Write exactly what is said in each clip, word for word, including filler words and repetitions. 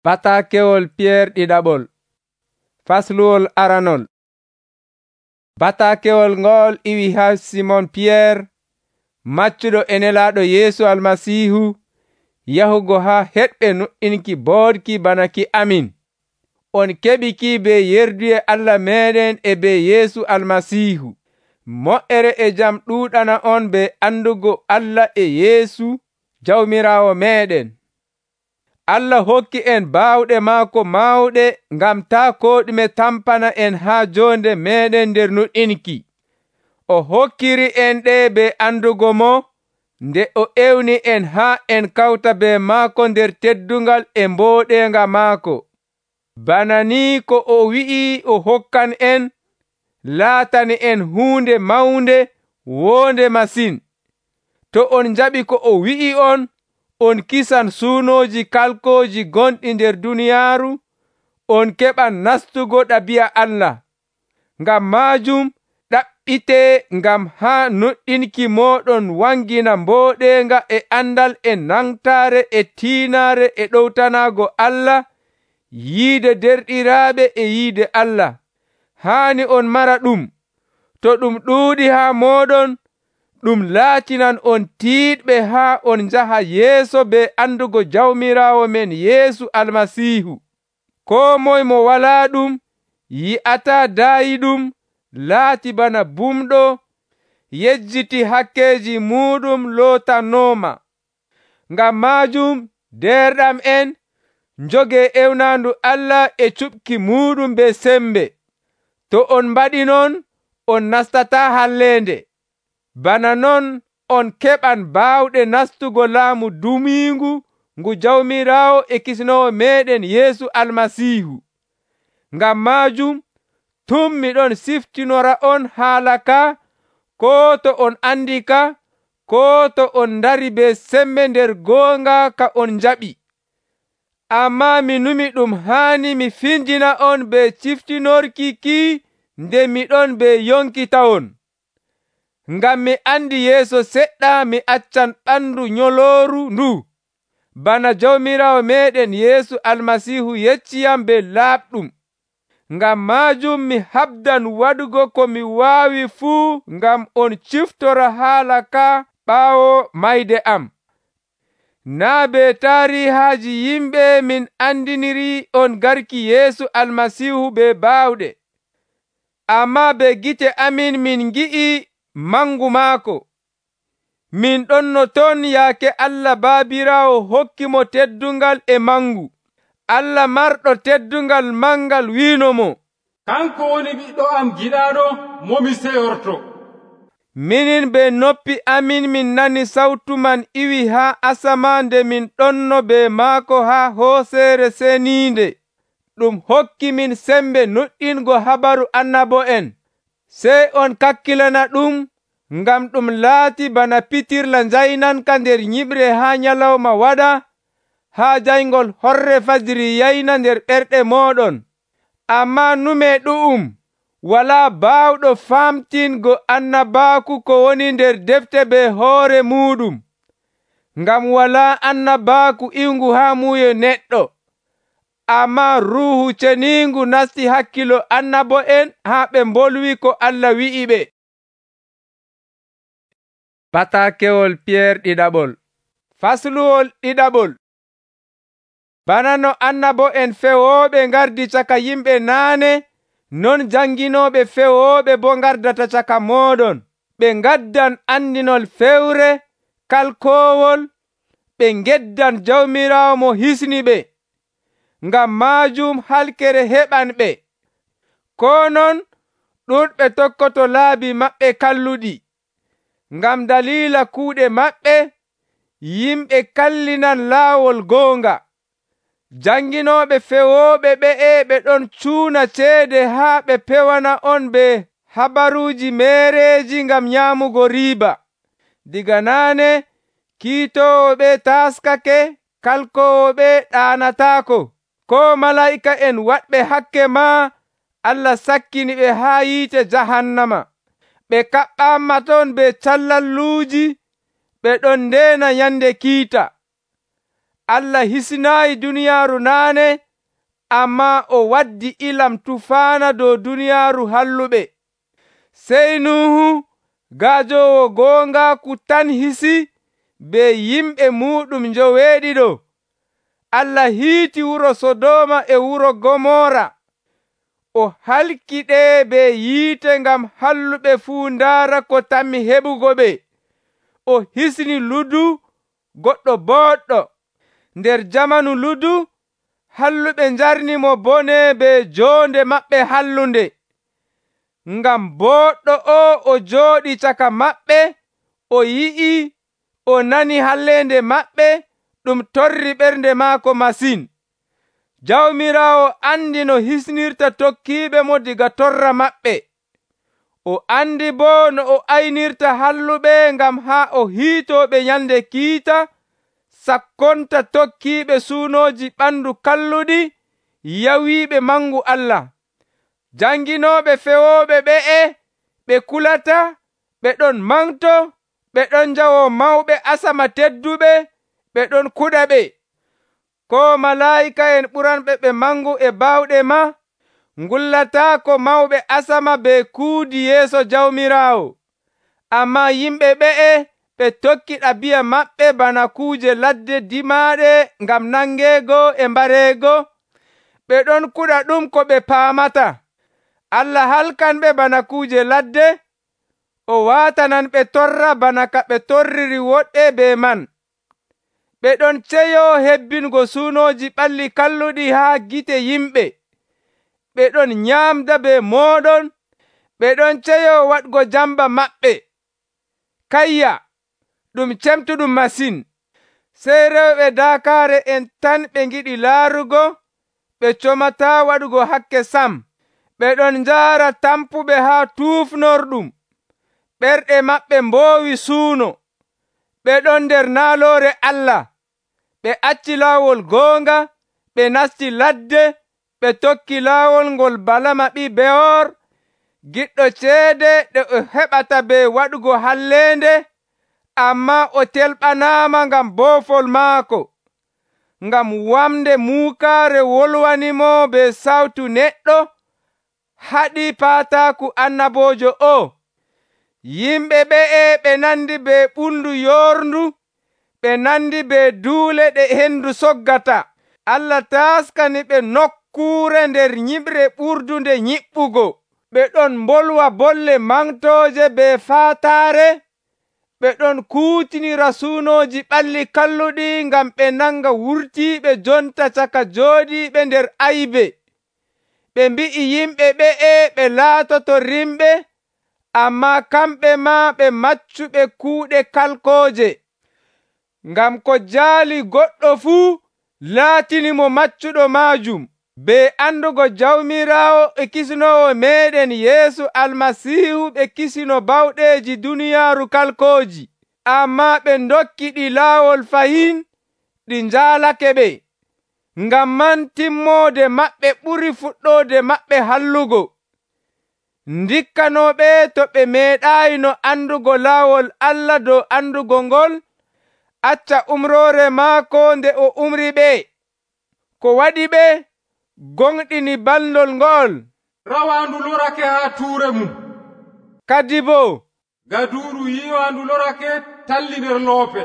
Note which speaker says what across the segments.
Speaker 1: Bataakewol Piyeer ɗiɗaɓol. Fasluwol aranol. Bataakewol ngol iwi ha Simon Piyeer, maccuɗo e Nelaaɗo Yeesu Almasiihu, yahugo ha heɗɓe nuɗɗinki boodki bana ki amin. On keɓi ki be yerduye Allah meeɗen e be Yeesu Almasiihu. Moƴƴere e jam ɗuuɗana on be andugo Allah e Yeesu Jawmiraawo meeɗen. Allah hokki en baawɗe maako mawɗe ngam taa koo ɗume tampana en haa joonde meeɗen nder nuɗɗinki. O hokkiri en ɗe be andugo mo, nde o ewni en haa en kawta be maako nder teddungal e mbooɗenga maako. Bana ni ko o wi'i o hokkan en, laatani en huunde mawnde woonde masin. To on njaɓi ko o wi'i on, on kisan suunooji kalkooji gonɗi nder duniyaaru, on keɓan nastugo ɗabi'a Allah. Ngam maajum ɗaɓɓitee ngam haa nuɗɗinki mooɗon wangina mbooɗenga e andal e nangtaare e tiinaare e ɗowtanaago Allah, yiide derɗiraaɓe e yiide Allah. Haani on mara ɗum. To ɗum ɗuuɗi haa mooɗon, ɗum laatinan on tiiɗɓe haa on njaha yeeso be andugo Jawmiraawo men Yeesu Almasiihu. Koo moye mo walaa ɗum yi'ataa daayiɗum laati bana bumɗo yejjiti hakkeeji muuɗum lootanooma. Ngam maajum derɗam en, njogee ewnaandu Allah e cuɓki muuɗum be sembe. To on mbaɗi non, on nastataa halleende. Bana non on keɓan baawɗe nastugo laamu dumiingu ngu Jawmiraawo e Kisnoowo meeɗen Yeesu Almasiihu. Ngam maajum tum miɗon siftinora on haala ka, koo to on andi ka, koo to on ndari be sembe nder goonga ka on njaɓi. Ammaa mi numi ɗum haani mi finjina on be ciftinorki ki nde miɗon be yonkitawon. Ngam mi andi yeeso seɗɗa mi accan ɓandu nyolooru ndu, bana Jawmiraawo meeɗen Yeesu Almasiihu yecciyam be laaɓɗum. Ngam maajum mi habdan waɗugo ko mi waawi fuu ngam on ciftora haala ka ɓaawo mayde am. Naa be taarihaaji yimɓe min andiniri on garki Yeesu Almasiihu be baawɗe, ammaa be gite amin min ngi'i mangu maako. Min ɗonno ton yaake Allah Baabiraawo hokki mo teddungal e mangu. Allah marɗo teddungal mangal wiino mo,
Speaker 2: kanko woni ɓiɗɗo am giɗaaɗo mo mi seyorto.
Speaker 1: Minin be noppi amin min nani sawtu man iwi haa asaman nde min ɗonno be maako haa hooseere seniinde. Ɗum hokki min sembe nuɗɗingo habaru annabo'en. Sey on kakkilana ɗum, ngam ɗum laati bana pitirla njaynanka nder nyiɓre haa nyalawma waɗa, haa jayngol horre fajiri yayna nder ɓerɗe mooɗon. Ammaa nume ɗu'um walaa baawɗo famtingo annabaaku ko woni nder defte be hoore muuɗum, ngam walaa annabaaku iwngu haa muuyo neɗɗo. Ammaa Ruuhu Ceniingu nasti hakkilo annabo'en haa ɓe mbolwi ko Allah wi'i ɓe. Bataakewol Piyeer ɗiɗaɓol. Fasluwol ɗiɗaɓol. Bana no annabo'en fewooɓe ngardi caka yimɓe naane, non janginooɓe fewooɓe boo ngardata caka mooɗon. Ɓe ngaddan andinol fewre kalkoowol, ɓe ngeddan Jawmiraawo mo hisni ɓe. Ngam maajum halkere heɓan ɓe. Koo non ɗuuɗɓe tokkoto laabi maɓɓe kalluɗi. Ngam daliila kuuɗe maɓɓe, yimɓe kallinan laawol goonga. Janginooɓe fewooɓe ɓe'e ɓe ɗon cuuna ceede haa ɓe pewana on be habaruuji meereeji ngam nyaamugo riiba. Diga naane kiitoowo ɓe taaskake, kalkoowo ɓe ɗaanataako. Koo malaa'ika'en waɗɓe hakke maa Allah sakkini ɓe haa yiite jahannama. Ɓe kaɓɓaama ton be callalluuji, ɓe ɗon ndeena nyande kiita. Allah hisinaayi duniyaaru naane, ammaa o waddi ilam tufaana dow duniyaaru halluɓe. Sey Nuhu, gaajoowo goongaaku tan hisi be yimɓe muuɗum njoweeɗiɗo. Allah hiiti wuro Sodooma e wuro Gomora. O halki ɗe be yiite ngam halluɓe fuu ndaara ko tammi heɓugo ɓe. O hisni Ludu, goɗɗo booɗɗo. Nder jamanu Ludu, halluɓe njarnimo bone be joonde maɓɓe hallunde. Ngam booɗɗo o o jooɗi caka maɓɓe, o yi'i, o nani halleende maɓɓe, ɗum torri ɓernde maako masin. Jawmiraawo andi no hisnirta tokkiiɓe mo diga torra maɓɓe. O andi boo no o aynirta halluɓe ngam haa o hiitooɓe nyalnde kiita, sakkonta tokkiiɓe suunooji ɓandu kalluɗi, yawiiɓe mangu Allah. Janginooɓe fewooɓe ɓe'e ɓe kulata, ɓe ɗon manto, ɓe ɗon njawo mawɓe asama tedduɓe, ɓe ɗon kuɗa ɓe. Ko malaa'ika'en ɓuranɓe ɓe mangu e bawɗe ma, ngullataako mawɓe asama be kuudi yeeso Jawmiraawo. Ammaa yimɓe ɓe'e ɓe tokki ɗabi'a maɓɓe bana kuuje ladde dimaaɗe ngam nangeego e mbareego, ɓe ɗon kuɗa ɗum ko ɓe paamata. Allah halkanɓe bana kuuje ladde, o waatananɓe torra bana ka ɓe torriri woɗɓe be man. Ɓe ɗon ceyoo hebbingo suunooji ɓalli kalluɗi haa gite yimɓe. Ɓe ɗon nyaamda be mooɗon, ɓe ɗon ceyoo waɗgo jamba maɓɓe. Kayya, ɗum cemtuɗum masin. Sey rewɓe daakaare en tan ɓe ngiɗi laarugo, ɓe comataa waɗugo hakke sam. Ɓe ɗon njaara tampuɓe haa tuufnorɗum. Ɓerɗe maɓɓe mboowi suuno. Ɓe ɗon nder naaloore Allah. Ɓe acci laawol goonga, ɓe nasti ladde, ɓe tokki laawol ngol Balama ɓii Beyoor, giɗɗo ceede ɗe o heɓata be waɗugo halleende, ammaa o telɓanaama ngam boofol maako. Ngam wamde muukaare wolwanimo be sawtu neɗɗo, haɗi paataaku annaboojo o. Yimɓe ɓe'e ɓe nandi be ɓundu yoorndu, ɓe nandi be duule ɗe hendu soggata. Allah taaskani ɓe nokkuure nder nyiɓre ɓurdunde nyiɓɓugo. Ɓe ɗon mbolwa bolle mantooje be faataare. Ɓe ɗon kuutinira suunooji ɓalli kalluɗi ngam ɓe nanga wurtiiɓe jonta caka jooɗiiɓe nder aybe. Ɓe mbi'i yimɓe ɓe'e ɓe laatoto rimɓe, ammaa kamɓe maa ɓe maccuɓe kuuɗe kalkooje. Ngam ko jaali goɗɗo fuu laatinimo maccuɗo maajum. Be andugo Jawmiraawo e kisnoowo meeɗen Yeesu Almasiihu ɓe kisino bawɗeeji duniyaaru kalkooji. Ammaa ɓe ndokki ɗi laawol fahin, ɗi njaalake ɓe. Ngam man timmoode maɓɓe ɓuri fuɗɗoode maɓɓe hallugo. Ndikkanooɓe to ɓe meeɗaayino andugo laawol Allah dow andugo ngol, acca umroore maako nde o umri ɓe. Ko waɗi ɓe gonɗini ballol ngol.
Speaker 2: Rawaandu lorake haa tuure mum.
Speaker 1: Kadi boo
Speaker 2: gaduuru yiiwaandu lorake talli nder loope.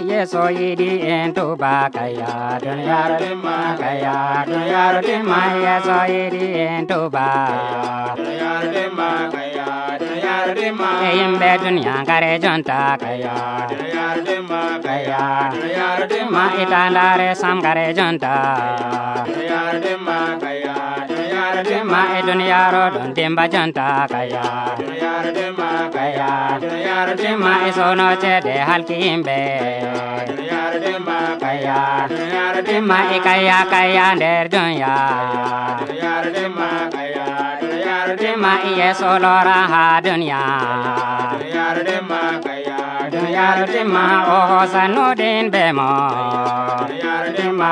Speaker 3: Yeso yiɗi en tuba kaya duniyaaru dimma kaya duniyaaru dimma Yeso yiɗi en tuba duniyaaru dimma kaya duniyaaru dimma e yimɓe duniya ngare jonta kaya duniyaaru dimma kaya duniyaaru dimma itandare sam ngare jonta duniyaaru dimma kaya duniyaaru dimma e duniyaaru ɗon dimba jonta kaya duniyaaru dimma kaya duniyaaru dimma e sono ceede halki yimɓe duniyaaru dimma kaya duniyaaru dimma e kaya kaya nder dunya duniyaaru dimma kaya duniyaaru dimma e yeeso lora ha dunya duniyaaru dimma kaya duniyaaru timma o hoosanuɗin be mo duniyaaru timma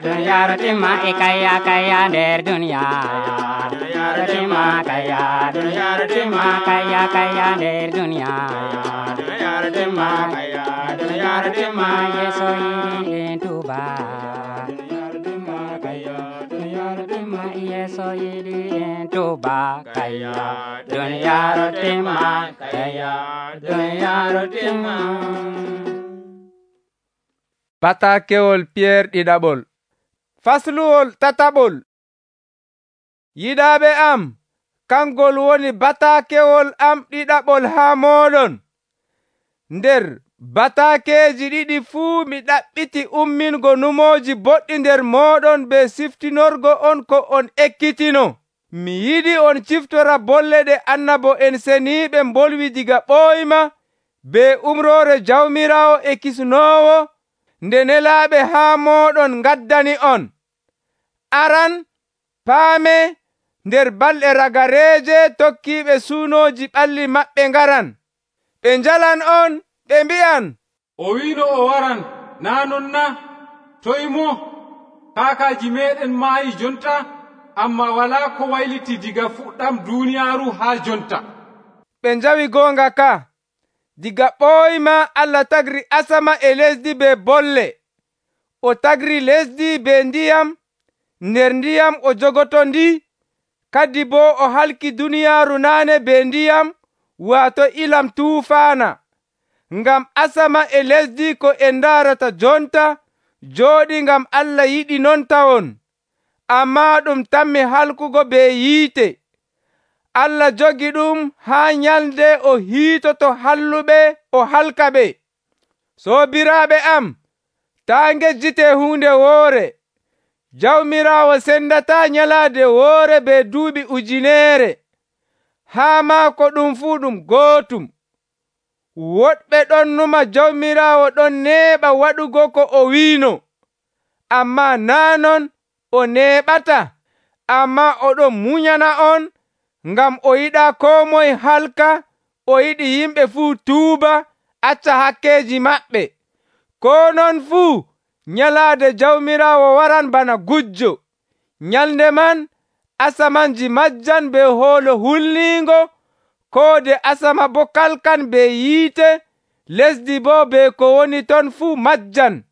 Speaker 3: duniyaaru timma e kayya kayya nder duniya duniyaaru timma kayya duniyaaru timma kayya kayya nder duniya duniyaaru timma kayya duniyaaru timma yeso yiɗi en tuba duniyaaru timma kayya duniyaaru timma yeso yiɗi en tuba kayya duniyaaru timma kayya duniyaaru timma.
Speaker 1: Batakewol Piyeer ɗiɗaɓol. Fasluwol tataɓol. Yiɗaaɓe am, kangol woni batakewol am ɗiɗaɓol haa mooɗon. Nder batakeeji ɗiɗi fuu mi ɗaɓɓiti ummingo numooji boɗɗi nder mooɗon be siftinorgo on ko on ekkitino. Mi yiɗi on ciftora bolle ɗe annabo'en seniiɓe mbolwi diga ɓooyma be umroore Jawmiraawo e Kisnoowo nde nelaaɓe haa mooɗon ngaddani on. Aran, paame, nder balɗe ragareeje tokkiiɓe suunooji ɓalli maɓɓe ngaran. Ɓe njalan on, ɓe mbi'an,
Speaker 2: o wiino o waran, naa non na? Toy mo? Kaakaaji meeɗen maayi jonta, amma walaa ko wayliti diga fuɗɗam duuniyaaru haa jonta.
Speaker 1: Ɓe njawi goonga ka. Diga ɓooyma Allah tagri asama e lesdi be bolle. O tagri lesdi be ndiyam, nder ndiyam o jogoto ndi, kadi boo o halki duniyaaru naane be ndiyam, waato ilam tuufaana. Ngam asama e lesdi ko en ndaarata jonta jooɗi ngam Allah yiɗi non tawon, ammaa ɗum tammi halkugo be yiite. Allah jogi ɗum haa nyalde o hiitoto halluɓe o halka ɓe. Soobiraaɓe am, taa ngejjitee huunde woore. Jawmiraawo sendataa nyalaade woore be duuɓi ujineere. Haa maako ɗum fuu ɗum gootum. Woɗɓe ɗon numa Jawmiraawo ɗon neeɓa waɗugo ko o wiino. Ammaa naa non o neeɓata, ammaa oɗon munyana on, ngam o yiɗaa koo moye halka, o yiɗi yimɓe fuu tuuba, acca hakkeeji maɓɓe. Koo non fuu, nyalaade Jawmiraawo waran bana gujjo. Nyalnde man, asamanji majjan be hoolo hulniingo, koode asama boo kalkan be yiite, lesdi boo be ko woni ton fuu majjan.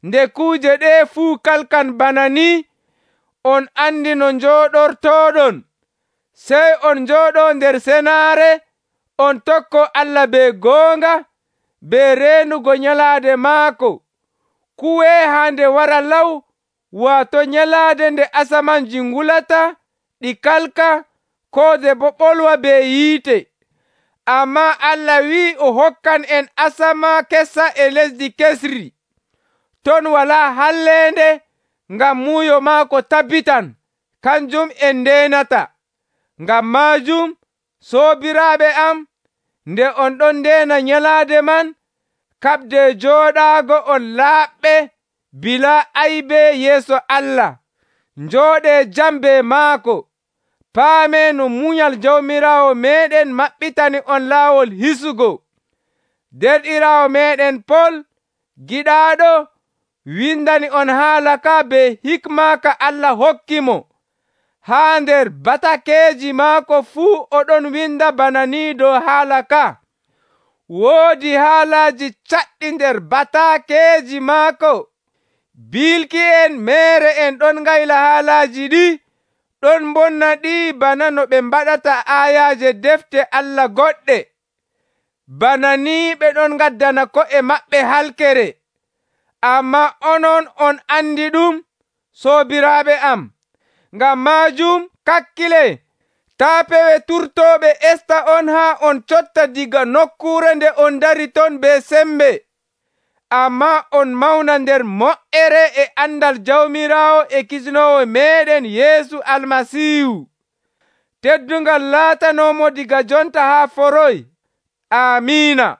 Speaker 1: Nde kuuje ɗee fuu kalkan bana ni, on andi no njooɗortooɗon. Sey on njooɗoo nder senaare, on tokko Allah be goonga, be reenugo nyalaade maako. Kuwee haa nde wara law, waato nyalaade nde asamanji ngulata, ɗi kalka, koode boo ɓolwa be yiite. Ammaa Allah wi'i o hokkan en asama kessa e lesdi kesri. Ton walaa halleende, ngam muuyo maako tabbitan, kanjum en ndeenata. Ngam maajum, soobiraaɓe am, nde on ɗon ndeena nyalaade man, kaɓde jooɗaago on laaɓɓe bilaa aybe yeeso Allah. Njooɗee jam be maako. Paamee no munyal Jawmiraawo meeɗen maɓɓitani on laawol hisugo. Derɗiraawo meeɗen Pol, giɗaaɗo, windani on haala ka be hikma ka Allah hokki mo. Haa nder batakeeji maako fuu oɗon winda bana ni dow haala ka. Woodi haalaaji caɗɗi nder batakeeji maako. Bilki en meere en ɗon ngayla haalaaji ɗi, ɗon mbonna ɗi bana no ɓe mbaɗata aayaaje defte Allah goɗɗe. Bana ni ɓe ɗon ngaddana ko'e maɓɓe halkere. Ammaa onon on andi ɗum, soobiraaɓe am. Ngam maajum kakkile, taa pewe turtooɓe esta on haa on cotta diga nokkuure nde on dari ton be sembe. Ammaa on mawna nder moƴƴere e andal Jawmiraawo e Kisnoowo meeɗen Yeesu Almasiihu. Teddungal laatanoomo diga jonta haa foroy. Amiina.